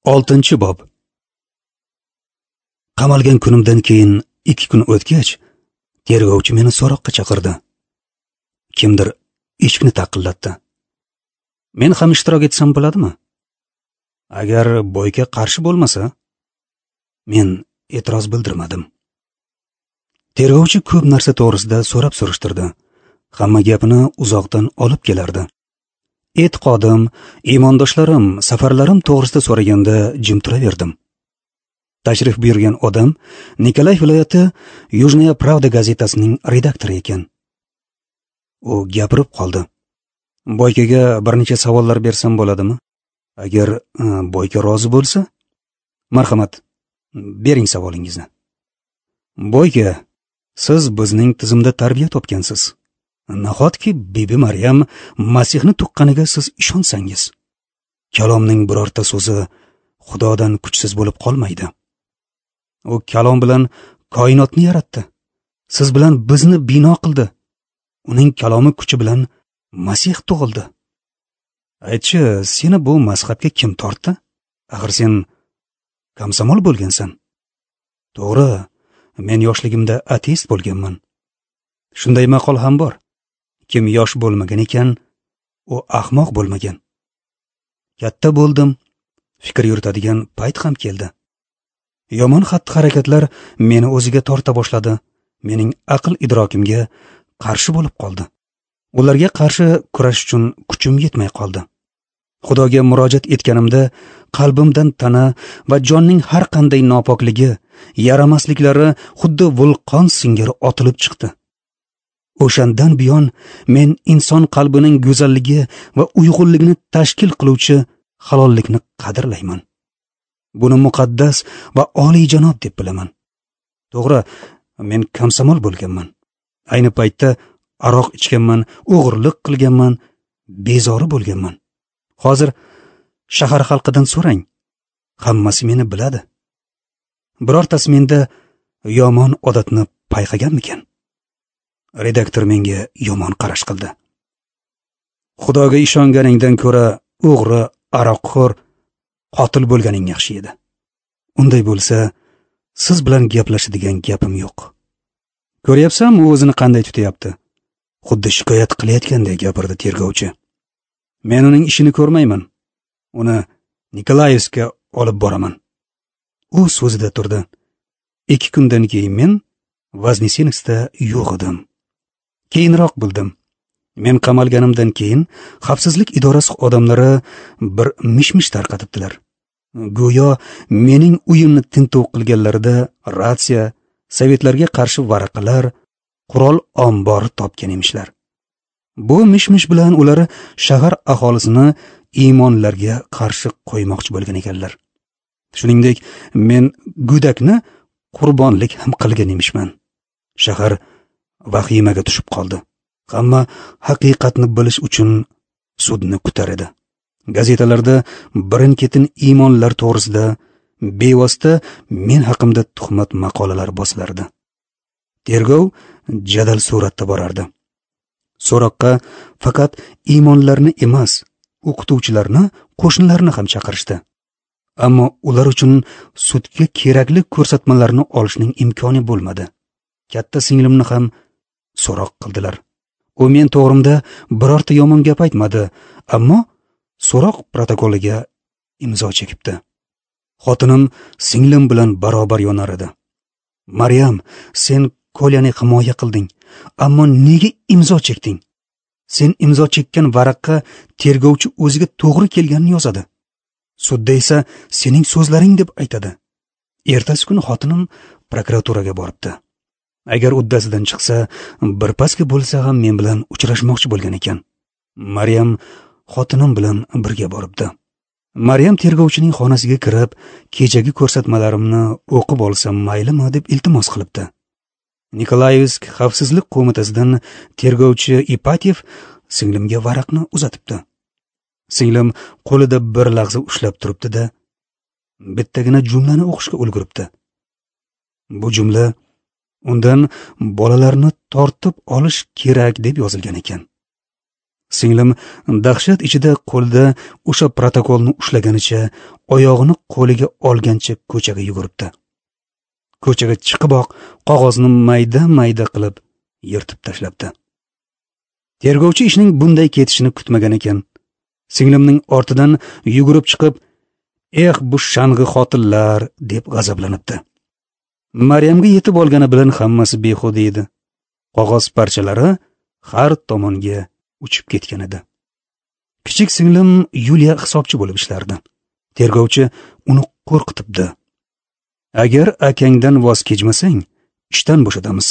6-bob. Qamalgan kunimdan keyin 2 kun o'tgach, tergovchi meni so'roqqa chaqirdi. Kimdir eshikni taqillatdi. Men ham ishtirok etsam bo'ladimi? Agar Boyka qarshi bo'lmasa, men e'tiroz bildirmadim. Tergovchi ko'p narsa to'g'risida so'rab surishtirdi. Hamma gapini uzoqdan olib kelardi. E'tiqodim, iymondoshlarim, safarlarim to'g'risida so'raganda jim turaverdim. Tashrif buyurgan odam Nikolay viloyati Yujnaya Pravda gazetasining redaktori ekan. U gapirib qoldi. Boykaga bir necha savollar bersam bo'ladimi? Agar Boyka rozi bo'lsa, marhamat, bering savolingizni. Boyka, siz bizning tizimda tarbiya topgansiz. Nahotki Bibi Maryam Masihni tuqqaniga siz ishonsangiz? Kalomning birorta so'zi Xudodan kuchsiz bo'lib qolmaydi. U kalom bilan koinotni yaratdi. Siz bilan bizni bino qildi. Uning kalomi kuchi bilan Masih tug'ildi. Aytchi, seni bu mazhabga kim tortdi? Axir sen komsomol bo'lgansan. To'g'ri, men yoshligimda ateist bo'lganman. Shunday maqol ham bor. Kim yosh bo'lmagan ekan, u ahmoq bo'lmagan. Katta bo'ldim, fikr yuritadigan payt ham keldi. Yomon xatti-harakatlar meni o'ziga torta boshladi, mening aql idrokimga qarshi bo'lib qoldi. Ularga qarshi kurash uchun kuchim yetmay qoldi. Xudoga murojaat etganimda qalbimdan tana va jonning har qanday nopokligi, yaramasliklari xuddi vulqon singari otilib chiqdi. O'shandan buyon men inson qalbining go'zalligi va uyg'unligini tashkil qiluvchi halollikni qadrlayman. Buni muqaddas va oliyjanob deb bilaman. To'g'ri, men komsomol bo'lganman. Ayni paytda aroq ichganman, o'g'irlik qilganman, bezori bo'lganman. Hozir shahar xalqidan so'rang, hammasi meni biladi. Birortasi menda yomon odatni payqaganmikan? Redaktor menga yomon qarash qildi. Xudoga ishonganingdan ko'ra o'g'ri, aroqxo'r, qotil bo'lganing yaxshi edi. Unday bo'lsa, siz bilan gaplashadigan gapim yo'q. Ko'ryapsanmi, u o'zini qanday tutyapti? Xuddi shikoyat qilayotganday gapirdi tergovchi. Men uning ishini ko'rmayman. Uni Nikolayevskka olib boraman. U so'zida turdi. 2 kundan keyin men Voznesenskda yo'q edim. Keyinroq bildim. Men qamalganimdan keyin xavfsizlik idorasi odamlari bir mish-mish tarqatibdilar. Go'yo mening uyimni tintuv qilganlarida ratsiya, sovetlarga qarshi varaqalar, qurol ombori topgan emishlar. Bu mish-mish bilan ular shahar aholisini iymonlarga qarshi qo'ymoqchi bo'lgan ekanlar. Shuningdek, men go'dakni qurbonlik ham qilgan emishman. Shahar vahimaga tushib qoldi. Hamma haqiqatni bilish uchun sudni kutar edi. Gazetalarda birin-ketin iymonlar to'g'risida bevosita men haqimda tuhmat maqolalar bosilardi. Tergov jadal suratda borardi. So'roqqa faqat iymonlarni emas, o'qituvchilarni, qo'shnilarni ham chaqirishdi. Ammo ular uchun sudga kerakli ko'rsatmalarni olishning imkoni bo'lmadi. Katta singlimni ham so'roq qildilar. U men to'g'rimda birorta yomon gap aytmadi, ammo so'roq protokoliga imzo chekibdi. Xotinim singlim bilan barobar yonar edi. Maryam, sen Kolyani himoya qilding, ammo nega imzo chekding? Sen imzo chekkan varaqqa tergovchi o'ziga to'g'ri kelganini yozadi. Sudda esa sening so'zlaring deb aytadi. Ertasi kuni xotinim prokuraturaga boribdi. Agar uddasidan chiqsa, birpasga bo'lsa ham men bilan uchrashmoqchi bo'lgan ekan. Maryam xotinim bilan birga boribdi. Maryam tergovchining xonasiga kirib, kechagi ko'rsatmalarimni o'qib olsam maylimi deb iltimos qilibdi. Nikolayevsk xavfsizlik qo'mitasidan tergovchi Ipatyev singlimga varaqni uzatibdi. Singlim qo'lida bir lahza ushlab turibdi-da, bittagina jumlani o'qishga ulguribdi. Bu jumla undan bolalarni tortib olish kerak deb yozilgan ekan. Singlim dahshat ichida qo'lida o'sha protokolni ushlaganicha, oyog'ini qo'liga olgancha ko'chaga yuguribdi. Ko'chaga chiqiboq qog'ozni mayda-mayda qilib yirtib tashlabdi. Tergovchi ishning bunday ketishini kutmagan ekan. Singlimning ortidan yugurib chiqib, "Eh, bu shang'i xotinlar" deb g'azablanibdi. Maryamga yetib olgani bilan hammasi behuda edi. Qog'oz parchalari har tomonga uchib ketgan edi. Kichik singlim Yuliya hisobchi bo'lib ishlardi. Tergovchi uni qo'rqitibdi. Agar akangdan voz kechmasang, ishdan bo'shatamiz.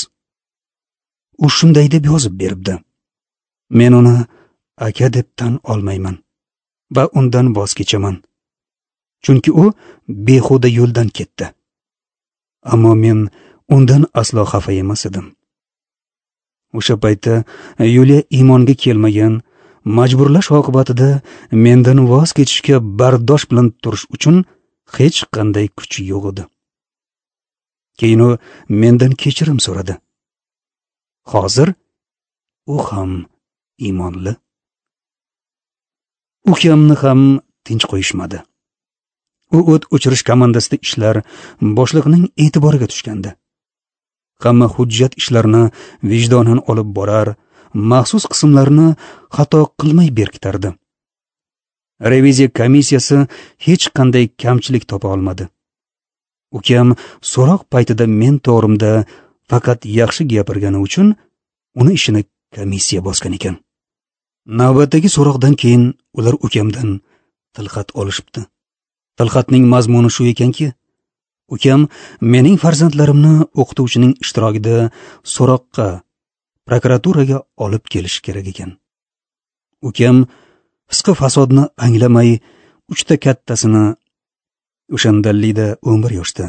U shunday deb yozib beribdi. Men uni aka deb tan olmayman va undan voz kechaman. Chunki u behuda yo'ldan ketdi. Ammo men undan aslo xafa emas edim. O'sha paytda Yuliya iymonga kelmagan, majburlash oqibatida mendan voz kechishga bardosh bilan turish uchun hech qanday kuchi yo'q edi. Keyin u mendan kechirim so'radi. Hozir u ham iymonli. Ukamni ham tinch qo'yishmadi. U o't o'chirish komandasida ishlar boshliqning e'tiboriga tushgandi. Hamma hujjat ishlarini vijdonan olib borar, maxsus qismlarni xato qilmay berkitardi. Reviziya komissiyasi hech qanday kamchilik topa olmadi. Ukam so'roq paytida men to'g'rimda faqat yaxshi gapirgani uchun uni ishini komissiya bosgan ekan. Navbatdagi so'roqdan keyin ular ukamdan tilxat olishibdi. Tilxatning mazmuni shu ekanki, ukam mening farzandlarimni o'qituvchining ishtirokida so'roqqa, prokuraturaga olib kelish kerak ekan. Ukam fisqi fasodni anglamay, uchta kattasini, o'shanda Lida 11 yoshda,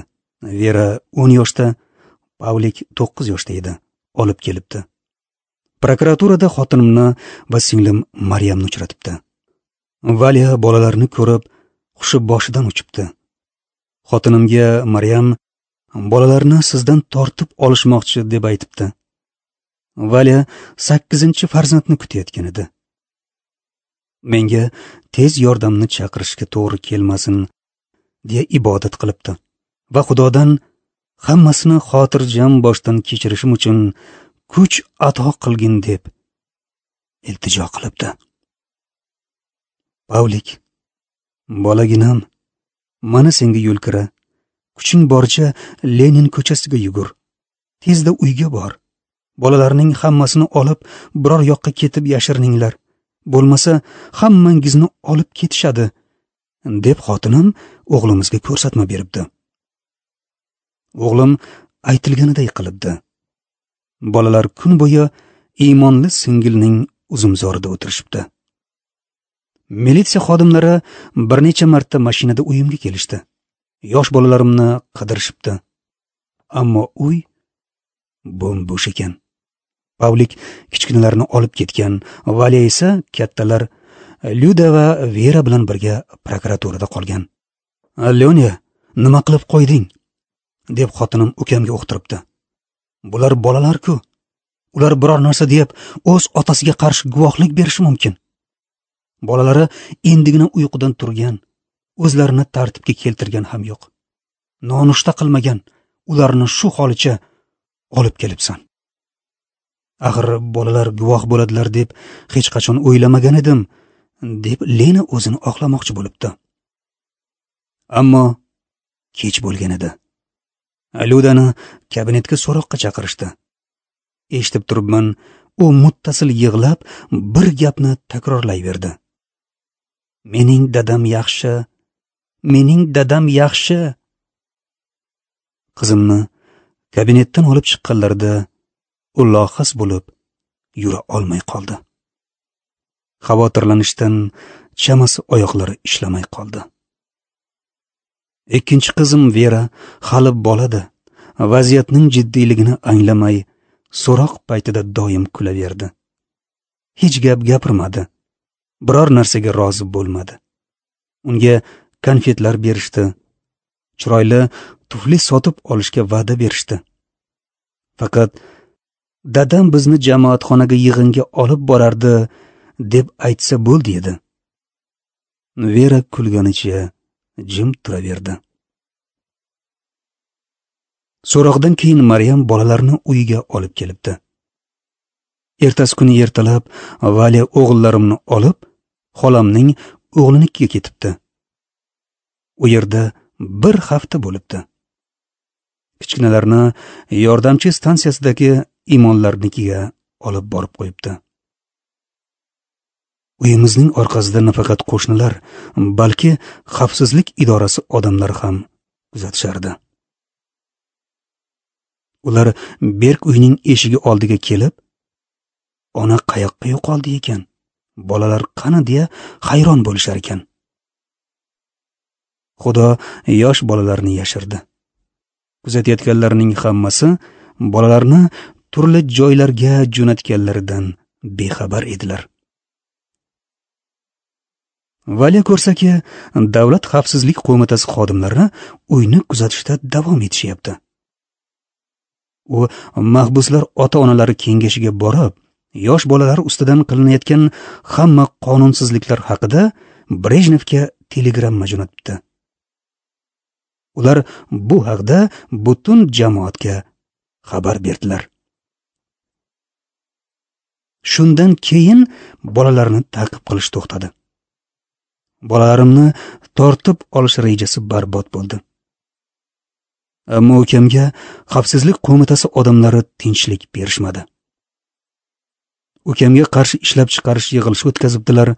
Vera 10 yoshda, Pavlik 9 yoshda edi, olib kelibdi. Prokuraturada xotinimni va singlim Maryamni uchratibdi. Valya bolalarni ko'rib, hushi boshidan uchibdi. Xotinimga Maryam bolalarni sizdan tortib olishmoqchi deb aytibdi. Valya 8-farzandni kutayotgan edi. Menga tez yordamni chaqirishga to'g'ri kelmasin deya ibodat qilibdi va Xudodan hammasini xotirjam boshdan kechirishim uchun kuch ato qilgin deb iltijo qilibdi. Pavlik, bolaginam, mana senga yo'lkira, kuching boricha Lenin ko'chasiga yugur. Tezda uyga bor. Bolalarning hammasini olib, biror yoqqa ketib yashirininglar. Bo'lmasa hammangizni olib ketishadi, deb xotinim o'g'limizga ko'rsatma beribdi. O'g'lim aytilganiday qilibdi. Bolalar kun bo'yi iymonli singilning uzumzorida o'tirishibdi. Militsiya xodimlari bir necha marta mashinada uyimga kelishdi. Yosh bolalarimni qidirishibdi. Ammo uy bo'm-bo'sh ekan. Pavlik kichkinalarni olib ketgan, Valya esa kattalar Lyuda va Vera bilan birga prokuraturada qolgan. "Lyonya, nima qilib qo'yding?" deb xotinim ukamga o'qtiribdi. Bular bolalar-ku. Ular biror narsa deb o'z otasiga qarshi guvohlik berishi mumkin. Bolalari endigina uyqudan turgan, o'zlarini tartibga keltirgan ham yo'q. Nonushta qilmagan, ularni shu holicha olib kelibsan. Axir bolalar guvoh bo'ladilar deb hech qachon o'ylamagan edim, deb Lena o'zini oqlamoqchi bo'libdi. Ammo kech bo'lgan edi. Lyudani kabinetga so'roqqa chaqirishdi. Eshitib turibman, u muttasil yig'lab bir gapni takrorlayverdi. Mening dadam yaxshi, mening dadam yaxshi. Qizimni kabinetdan olib chiqqanlarida u lohas bo'lib yura olmay qoldi. Xavotirlanishdan chamasi oyoqlari ishlamay qoldi. Ikkinchi qizim Vera hali bolada, vaziyatning jiddiyligini anglamay, so'roq paytida doim kulaverdi. Hech gap gapirmadi. Biror narsaga rozi bo'lmadi. Unga konfetlar berishdi. Chiroyli tufli sotib olishga va'da berishdi. Faqat dadam bizni jamoatxonaga yig'inga olib borardi deb aytsa bo'ldi edi. Vera kulganicha jim turaverdi. So'roqdan keyin Maryam bolalarni uyiga olib kelibdi. Ertasi kuni ertalab Valya o'g'illarimni olib, xolamning o'g'linikiga ketibdi. U yerda bir hafta bo'libdi. Kichkinalarni yordamchi stansiyasidagi imonlarnikiga olib borib qo'yibdi. Uyimizning orqasida nafaqat qo'shnilar, balki xavfsizlik idorasi odamlari ham kuzatishardi. Ular Berk uyning eshigi oldiga kelib, ona qayoqqa yo'qoldi ekan, bolalar qani deya hayron bo'lishar ekan. Xudo yosh bolalarni yashirdi. Kuzatayotganlarning hammasi bolalarni turli joylarga jo'natganlaridan bexabar edilar. Valya ko'rsaki, Davlat xavfsizlik qo'mitasi xodimlari uyni kuzatishda davom etishyapti. U mahbuslar ota-onalari kengashiga borib, yosh bolalar ustidan qilinayotgan hamma qonunsizliklar haqida Brejnevga telegramma jo'natibdi. Ular bu haqda butun jamoatga xabar berdilar. Shundan keyin bolalarni ta'qib qilish to'xtadi. Bolalarimni tortib olish rejasi barbod bo'ldi. Ammo ukamga xavfsizlik qo'mitasi odamlari tinchlik berishmadi. Ukamga qarshi ishlab chiqarish yig'ilishi o'tkazibdilar.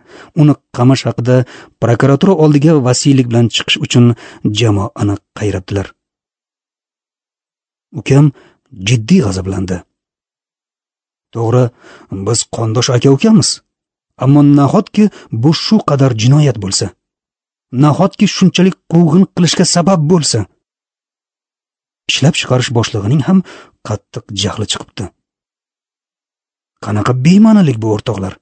Uni qamash haqida prokuratura oldiga vasiylik bilan chiqish uchun jamoani qayrabdilar. Ukam jiddiy g'azablandi. To'g'ri, biz qondosh aka-ukamiz, ammo nahotki bu shu qadar jinoyat bo'lsa? Nahotki shunchalik quvg'in qilishga sabab bo'lsa? Ishlab chiqarish boshlig'ining ham qattiq jahli chiqibdi. Qanaqa bema'nilik bu, o'rtoqlar?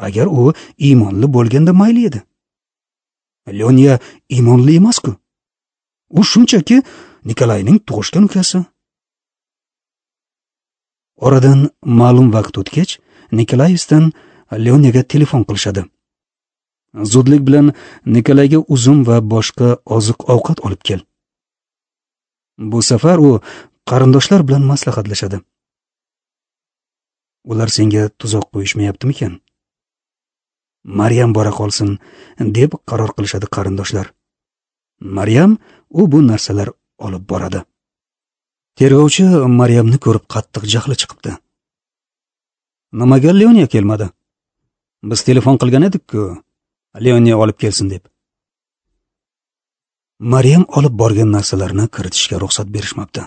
Agar u iymonli bo'lganda mayli edi. Lyonya iymonli emas-ku. U shunchaki Nikolayning tug'ishgan ukasi. Oradan ma'lum vaqt o'tgach, Nikolayevdan Lyonyaga telefon qilishadi. Zudlik bilan Nikolayga uzum va boshqa oziq-ovqat olib kel. Bu safar u qarindoshlar bilan maslahatlashadi. Ular senga tuzoq qo'yishmayaptimikan? Maryam bora qolsin, deb qaror qilishadi qarindoshlar. Maryam u bu narsalar olib boradi. Tergovchi Maryamni ko'rib qattiq jahli chiqibdi. Nimaga Lyonya kelmadi? Biz telefon qilgan edik-ku, Lyonya olib kelsin deb. Maryam olib borgan narsalarni kiritishga ruxsat berishmabdi.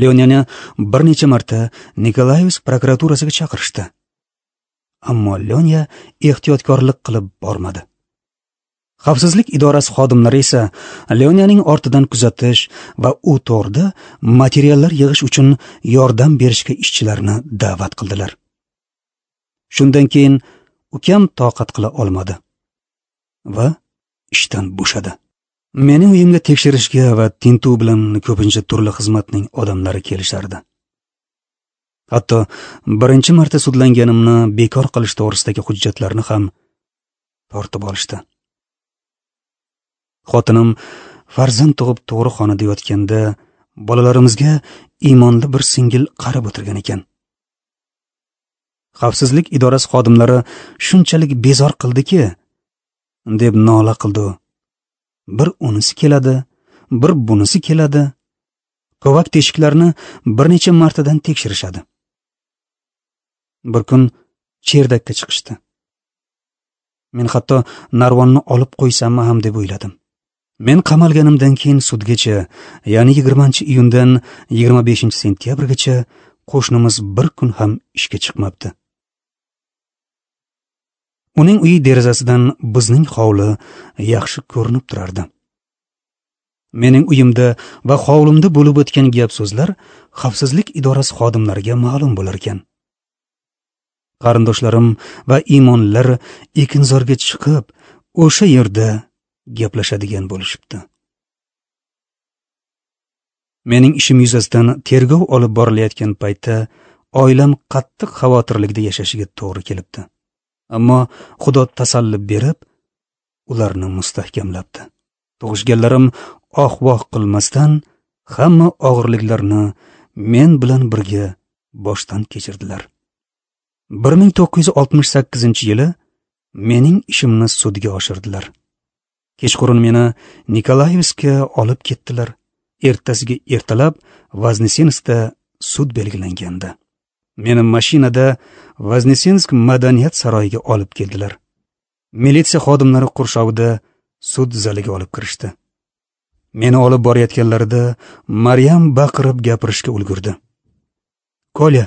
Lyonyani bir necha marta Nikolayevsk prokuraturasiga chaqirishdi. Ammo Lyonya ehtiyotkorlik qilib bormadi. Xavfsizlik idorasi xodimlari esa Lyonyaning ortidan kuzatish va u to'g'rida materiallar yig'ish uchun yordam berishga ishchilarni da'vat qildilar. Shundan keyin ukam toqat qila olmadi va ishdan bo'shadi. Mening uyimga tekshirishga va tintuv bilan ko'pincha turli xizmatning odamlari kelishardi. Hatto birinchi marta sudlanganimni bekor qilish to'g'risidagi hujjatlarni ham tortib olishdi. Xotinim farzand tug'ib tug'ruqxonada yotganda bolalarimizga iymonli bir singil qarab o'tirgan ekan. Xavfsizlik idorasi xodimlari shunchalik bezor qildiki, deb nola qildi u. Bir unisi keladi, bir bunisi keladi. Kovak teshiklarni bir necha martadan tekshirishadi. Bir kun cherdakka chiqishdi. Men hatto narvonni olib qo'ysammi ham deb o'yladim. Men qamalganimdan keyin sudgacha, ya'ni 20-iyundan 25-sentyabrgacha qo'shnimiz bir kun ham ishga chiqmabdi. Uning uyi derazasidan bizning hovli yaxshi ko'rinib turardi. Mening uyimda va hovlimda bo'lib o'tgan gap-so'zlar xavfsizlik idorasi xodimlariga ma'lum bo'lar ekan. Qarindoshlarim va iymonlar ekinzorga chiqib, o'sha yerda gaplashadigan bo'lishibdi. Mening ishim yuzasidan tergov olib borilayotgan paytda Oilam qattiq xavotirlikda yashashiga to'g'ri kelibdi. Ammo Xudo tasalli berib, ularni mustahkamlabdi. Tug'ishganlarim oh-voh qilmasdan hamma og'irliklarni men bilan birga boshdan kechirdilar. 1968-yili mening ishimni sudga oshirdilar. Kechqurun meni Nikolayevskka olib ketdilar. Ertasiga ertalab Voznesenskda sud belgilangandi. Meni mashinada Voznesensk madaniyat saroyiga olib keldilar. Militsiya xodimlari qurshovida sud zaliga olib kirishdi. Meni olib borayotganlarida Maryam baqirib gapirishga ulgurdi. "Kolya,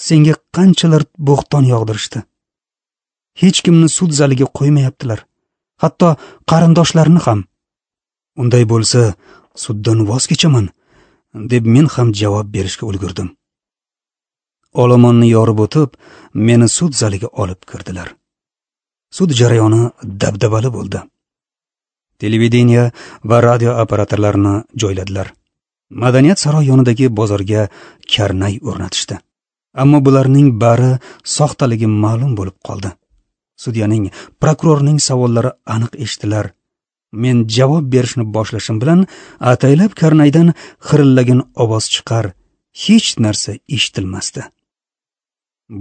senga qanchalar bo'xton yog'dirishdi. Hech kimni sud zaliga qo'ymayaptilar, hatto qarindoshlarni ham. Unday bo'lsa, suddan voz kechaman", deb men ham javob berishga ulgurdim. Olomonni yorib o'tib, meni sud zaliga olib kirdilar. Sud jarayoni dabdabali bo'ldi. Televideniya va radio operatorlarini joyladilar. Madaniyat saroyi yonidagi bozorga karnay o'rnatishdi. Ammo bularning bari soxtaligi ma'lum bo'lib qoldi. Sudyaning, prokurorning savollari aniq eshitilar. Men javob berishni boshlashim bilan ataylab karnaydan xirillagan ovoz chiqar, hech narsa eshitilmasdi.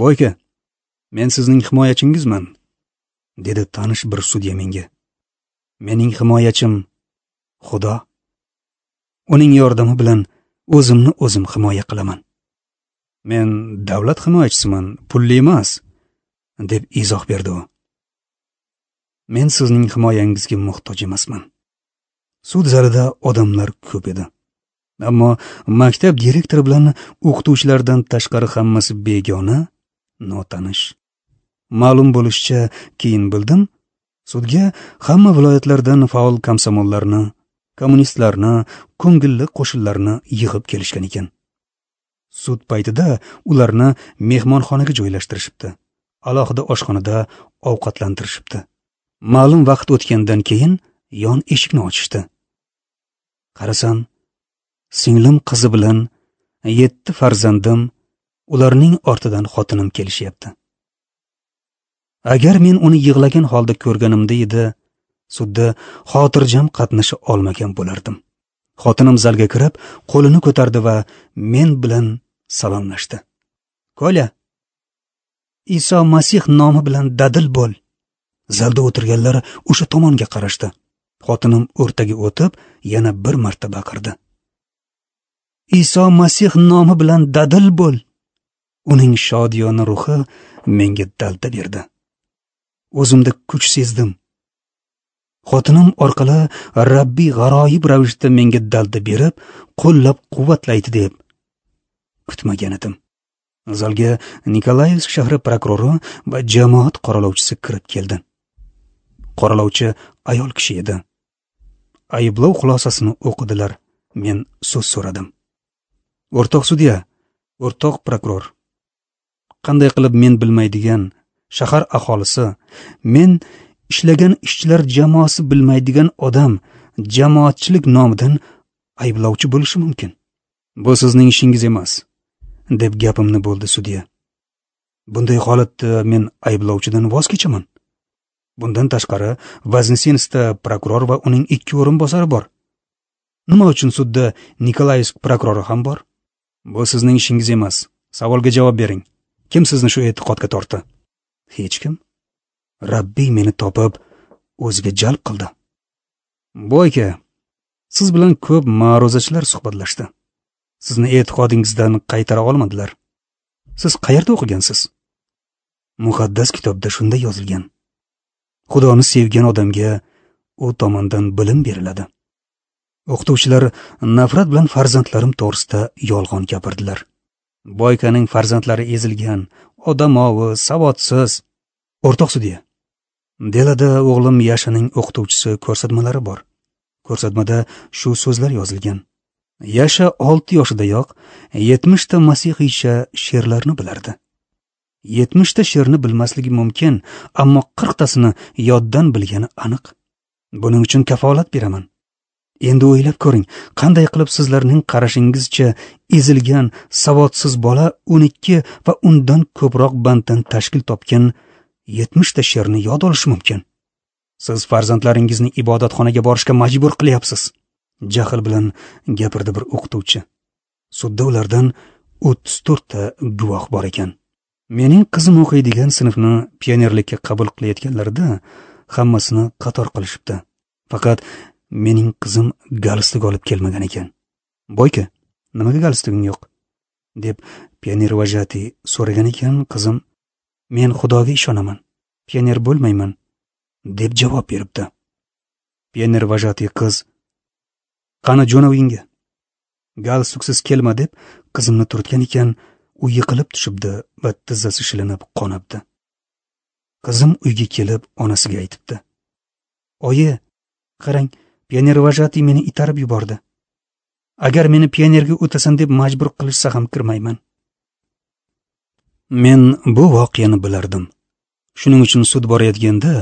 "Boyka, men sizning himoyachingizman", dedi tanish bir sudya menga. "Mening himoyachim Xudo. Uning yordami bilan o'zimni o'zim himoya qilaman. Men davlat himoyachisiman, pulli emas", deb izoh berdi u. "Men sizning himoyangizga muhtoj emasman." Sud zalida odamlar ko'p edi. Ammo maktab direktori bilan o'qituvchilardan tashqari hammasi begona, notanish. Ma'lum bo'lishicha, keyin bildim, sudga hamma viloyatlardan faol komsomollarni, kommunistlarni, ko'ngilli qo'shinlarni yig'ib kelishgan ekan. Sud paytida ularni mehmonxonaga joylashtirishibdi. Alohida oshxonada ovqatlantirishibdi. Ma'lum vaqt o'tgandan keyin yon eshikni ochishdi. Qarasam, singlim qizi bilan 7 farzandim, ularning ortidan xotinim kelishyapti. Agar men uni yig'lagan holda ko'rganimda edi, sudda xotirjam qatnasha olmagan bo'lardim. Xotinim zalga kirib, qo'lini ko'tardi va men bilan salomlashdi. "Kolya, Iso Masih nomi bilan dadil bo'l." Zalda o'tirganlar o'sha tomonga qarashdi. Xotinim o'rtaga o'tib, yana bir marta baqirdi. "Iso Masih nomi bilan dadil bo'l." Uning shodiyona ruhi menga dalda berdi. O'zimda kuch sezdim. Xotinim orqali Rabbiy g'aroyib ravishda menga dalda berib, qo'llab-quvvatlaydi deb kutmagan edim. Zalga Nikolayevsk shahri prokurori va jamoat qoralovchisi kirib keldi. Qoralovchi ayol kishi edi. Ayblov xulosasini o'qidilar. Men so'z so'radim. "O'rtoq sudya, o'rtoq prokuror, qanday qilib men bilmaydigan shahar aholisi, men ishlagan ishchilar jamoasi bilmaydigan odam jamoatchilik nomidan ayblovchi bo'lishi mumkin? Bu sizning ishingiz emas", deb gapimni bo'ldi sudya. "Bunday holatda men ayblovchidan voz kechaman. Bundan tashqari Voznesenskda prokuror va uning 2 o'rinbosari bor. Nima uchun sudda Nikolayevsk prokurori ham bor? Bu sizning ishingiz emas. Savolga javob bering. Kim sizni shu e'tiqodga tortdi?" "Hech kim. Rabbiy meni topib, o'ziga jalb qildi." "Boyka, siz bilan ko'p ma'ruzachilar suhbatlashdi. Sizni e'tiqodingizdan qaytara olmadilar. Siz qayerda o'qigansiz?" "Muqaddas kitobda shunday yozilgan. Xudoni sevgan odamga u tomondan bilim beriladi." O'qituvchilar nafrat bilan farzandlarim to'g'risida yolg'on gapirdilar. Boykaning farzandlari ezilgan, odamovi, savodsiz. "O'rtoq sudya, delada o'g'lim Yashaning o'qituvchisi ko'rsatmalari bor. Ko'rsatmada shu so'zlar yozilgan. Yasha 6 yoshidayoq 70 ta masihiycha she'rlarni bilardi. 70 ta she'rni bilmasligi mumkin, ammo 40 tasini yoddan bilgani aniq. Buning uchun kafolat beraman. Endi o'ylab ko'ring, qanday qilib sizlarning qarashingizcha ezilgan, savodsiz bola 12 va undan ko'proq banddan tashkil topgan 70 ta she'rni yod olishi mumkin? Siz farzandlaringizni ibodatxonaga borishga majbur qilyapsiz, jahl bilan gapirdi bir o'qituvchi. Sudda ulardan 34 ta guvoh bor ekan. Mening qizim o'qiydigan sinfni pionerlikka qabul qilayotganlarida hammasini qator qilishibdi. Faqat mening qizim galstuk olib kelmagan ekan. Boyka, nimaga galstuging yo'q? Deb pioner vajati so'ragan ekan. Qizim, men Xudoga ishonaman, pioner bo'lmayman, deb javob beribdi. Pioner vajati qiz, qani jo'na uyingga, galstuksiz kelma, deb qizimni turtgan ekan. U yiqilib tushibdi va tizzasi shilinib qonabdi. Qizim uyga kelib onasiga aytibdi: Oyi, qarang, pioner vajati meni itarib yubordi. Agar meni pionerga o'tasan deb majbur qilishsa ham kirmayman. Men bu voqeani bilardim. Shuning uchun sud borayotganda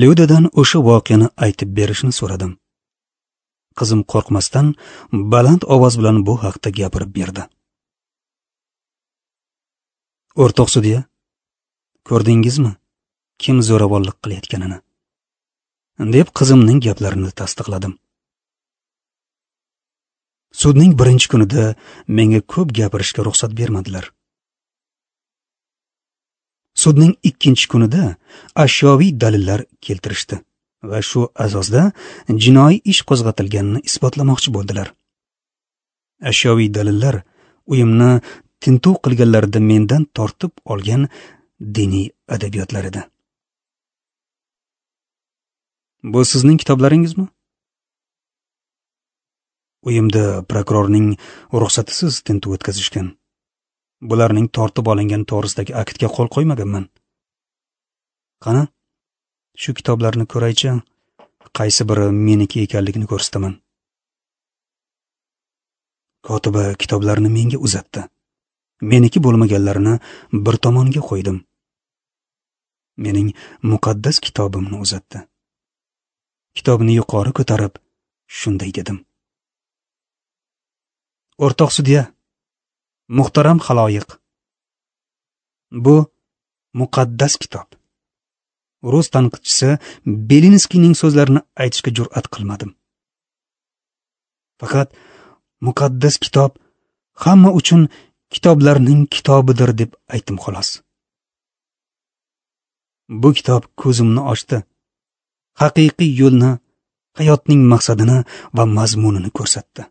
Lyudadan o'sha voqeani aytib berishni so'radim. Qizim qo'rqmasdan baland ovoz bilan bu haqda gapirib berdi. O'rtoq sudya, ko'rdingizmi kim zo'ravonlik qilayotganini? Deb qizimning gaplarini tasdiqladim. Sudning birinchi kunida menga ko'p gapirishga ruxsat bermadilar. Sudning ikkinchi kunida ashyoviy dalillar keltirishdi va shu asosda jinoiy ish qo'zg'atilganini isbotlamoqchi bo'ldilar. Ashyoviy dalillar uyimni tintuv qilganlarida mendan tortib olgan diniy adabiyotlar edi. Bu sizning kitoblaringizmi? Uyimda prokurorning ruxsatisiz tintuv o'tkazishgan. Bularning tortib olingan to'g'risidagi aktga qo'l qo'ymaganman. Qani, shu kitoblarni ko'raychi, qaysi biri meniki ekanligini ko'rsataman. Kotiba kitoblarni menga uzatdi. Meniki bo'lmaganlarini bir tomonga qo'ydim. Mening muqaddas kitobimni uzatdi. Kitobni yuqori ko'tarib shunday dedim: O'rtoq sudya, muhtaram xaloyiq, bu muqaddas kitob. Rus tanqidchisi Belinskiyning so'zlarini aytishga jur'at qilmadim. Faqat muqaddas kitob hamma uchun kitoblarning kitobidir deb aytdim xolos. Bu kitob ko'zimni ochdi. Haqiqiy yo'lni, hayotning maqsadini va mazmunini ko'rsatdi.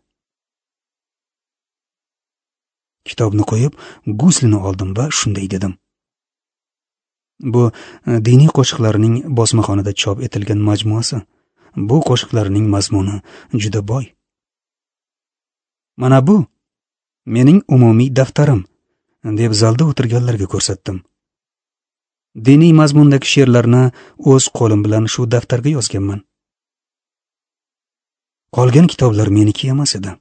Kitobni qo'yib, guslini oldim va shunday dedim: Bu diniy qo'shiqlarning bosmaxonada chop etilgan majmuasi. Bu qo'shiqlarning mazmuni juda boy. Mana bu mening umumiy daftarim, deb zalda o'tirganlarga ko'rsatdim. Diniy mazmundagi she'rlarni o'z qo'lim bilan shu daftarga yozganman. Qolgan kitoblar meniki emas edi.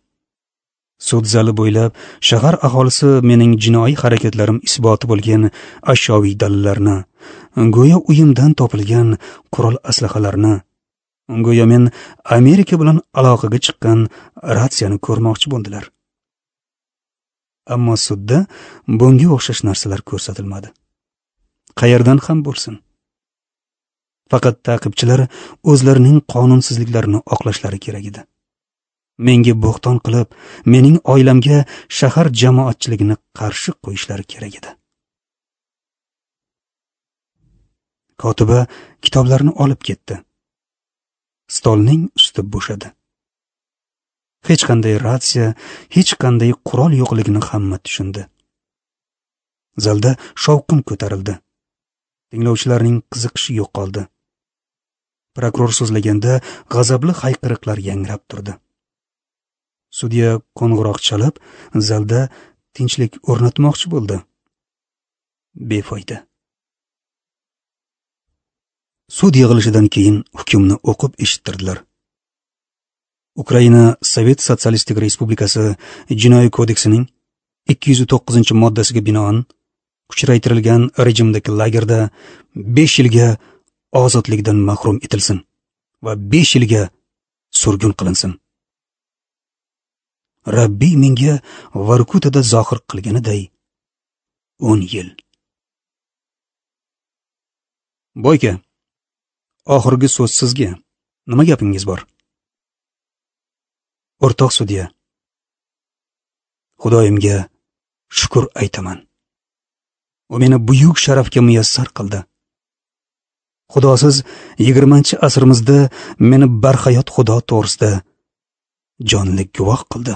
Sud zali bo'ylab shahar aholisi mening jinoiy harakatlarim isboti bo'lgan ashyoviy dalillarni, go'yo uyimdan topilgan qurol aslahalarni, go'yo men Amerika bilan aloqaga chiqqan ratsiyani ko'rmoqchi bo'ldilar. Ammo sudda bunga o'xshash narsalar ko'rsatilmadi. Qayerdan ham bo'lsin. Faqat ta'qibchilar o'zlarining qonunsizliklarini oqlashlari kerak edi. Menga bo'xton qilib, mening oilamga shahar jamoatchiligini qarshi qo'yishlari kerak edi. Kotiba kitoblarni olib ketdi. Stolning usti bo'shadi. Hech qanday ratsiya, hech qanday qurol yo'qligini hamma tushundi. Zalda shovqin ko'tarildi. Tinglovchilarning qiziqishi yo'qoldi. Prokuror so'zlaganda g'azabli hayqiriqlar yangrab turdi. Sudya qo'ng'iroq chalib, zalda tinchlik o'rnatmoqchi bo'ldi. Befoyda. Sud yig'ilishidan keyin hukmni o'qib eshittirdilar. Ukraina Sovet Sotsialistik Respublikasi Jinoiy kodeksining 209-moddasiga binoan kuchaytirilgan rejimdagi lagerda 5 yilga ozodlikdan mahrum etilsin va 5 yilga surgun qilinsin. Rabbiy menga Vorkutada zohir qilganiday 10 yil. Boyka, oxirgi so'z sizga. Nima gapingiz bor? O'rtoq sudya, Xudoyimga shukr aytaman. U meni buyuk sharafga muyassar qildi. Xudosiz 20-asrimizda meni barhayot Xudo to'g'risida jonli guvoh qildi.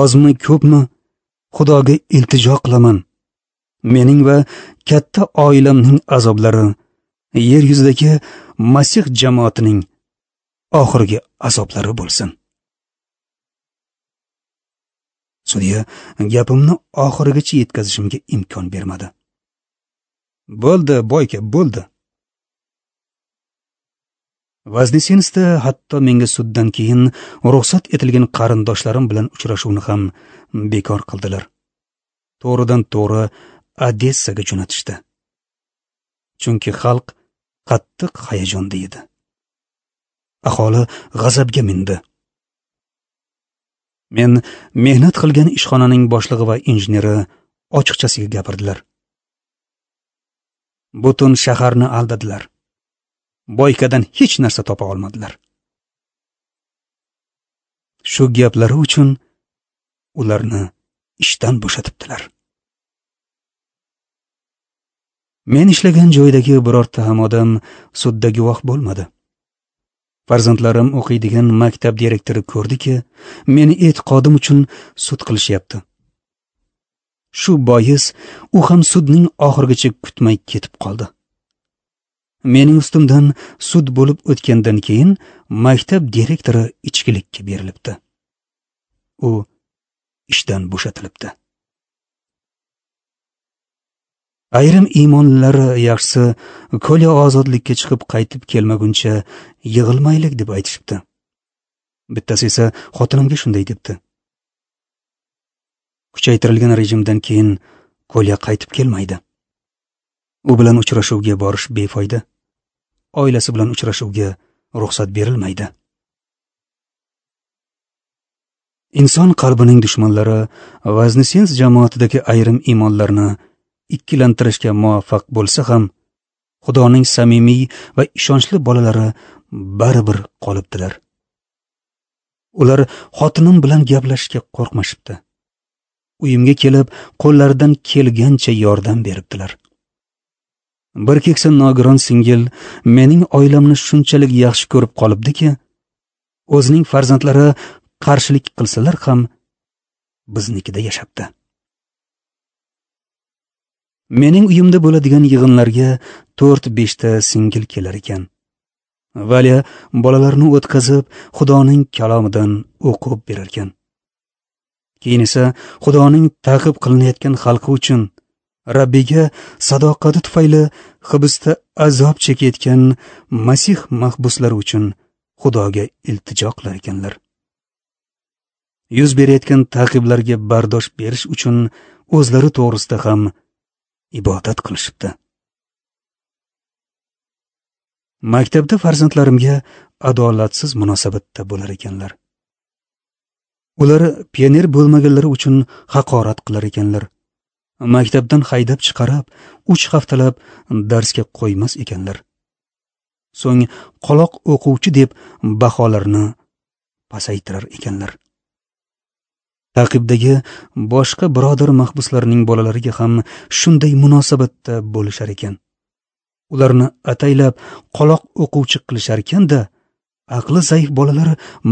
Ozmi ko'pmi Xudoga iltijo qilaman. Mening va katta oilamning azoblari yer yuzidagi Masih jamoatining oxirgi azoblari bo'lsin. Sudya gapimni oxirigacha yetkazishimga imkon bermadi. Bo'ldi, boyka, bo'ldi. Voznesenskda hatto menga suddan keyin ruxsat etilgan qarindoshlarim bilan uchrashuvni ham bekor qildilar. To'g'ridan to'g'ri Odessaga jo'natishdi. Chunki xalq qattiq hayajonda edi. Aholi g'azabga mindi. Men mehnat qilgan ishxonaning boshlig'i va injeneri ochiqchasiga gapirdilar. Butun shaharni aldadilar. Boykadan hech narsa topa olmadilar. Shu gaplari uchun ularni ishdan bo'shatibdilar. Men ishlagan joydagi birorta ham odam sudda guvoh bo'lmadi. Farzandlarim o'qiydigan maktab direktori ko'rdiki, meni e'tiqodim uchun sud qilishyapti. Shu bois u ham sudning oxirigacha kutmay ketib qoldi. Mening ustimdan sud bo'lib o'tgandan keyin maktab direktori ichkilikka berilibdi. U ishdan bo'shatilibdi. Ayrim iymonlilar yaxshisi Kolya ozodlikka chiqib qaytib kelmaguncha yig'ilmaylik deb aytishibdi. Bittasi esa xotinimga shunday debdi. Kuchaytirilgan rejimdan keyin Kolya qaytib kelmaydi. U bilan uchrashuvga borish befoyda. Oilasi bilan uchrashuvga ruxsat berilmaydi. Inson qalbining dushmanlari Voznesensk jamoatidagi ayrim iymonlarni ikkilantirishga muvaffaq bo'lsa ham, Xudoning samimiy va ishonchli bolalari baribir qolibdilar. Ular xotinim bilan gaplashishga qo'rqmashibdi. Uyimga kelib, qo'llaridan kelgancha yordam beribdilar. Bir keksa nogiron singil mening oilamni shunchalik yaxshi ko'rib qolibdiki, o'zining farzandlari qarshilik qilsalar ham biznikida yashabdi. Mening uyimda bo'ladigan yig'inlarga 4-5 ta singil kelar ekan. Valya bolalarni o'tkazib, Xudoning kalomidan o'qib berar ekan. Keyin esa Xudoning ta'qib qilinayotgan xalqi uchun Rabbiga sadoqati tufayli hibsda azob chekayotgan Masih mahbuslari uchun Xudoga iltijo qilar ekanlar. Yuz berayotgan ta'qiblarga bardosh berish uchun o'zlari to'g'risida ham ibodat qilishibdi. Maktabda farzandlarimga adolatsiz munosabatda bo'lar ekanlar. Ular pioner bo'lmaganlari uchun haqorat qilar ekanlar. Maktabdan haydab chiqarib, 3 haftalab darsga qo'ymas ekanlar. So'ng qoloq o'quvchi deb baholarni pasaytirar ekanlar. Ta'qibdagi boshqa birodar mahbuslarning bolalariga ham shunday munosabatda bo'lishar ekan. Ularni ataylab qoloq o'quvchi qilishar ekan-da, aqli zaif bolalar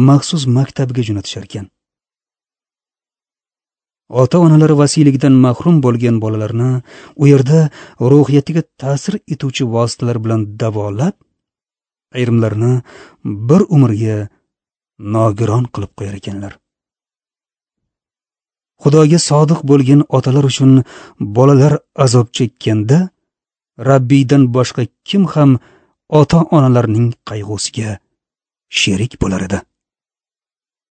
maxsus maktabga jo'natishar ekan. Ota-onalari vasiyligidan mahrum bo'lgan bolalarni u yerda ruhiyatiga ta'sir etuvchi vositalar bilan davolab, ayrimlarini bir umrga nogiron qilib qo'yar ekanlar. Xudoga sodiq bo'lgan otalar uchun bolalar azob chekkanda, Rabbiydan boshqa kim ham ota-onalarning qayg'usiga sherik bo'lar edi.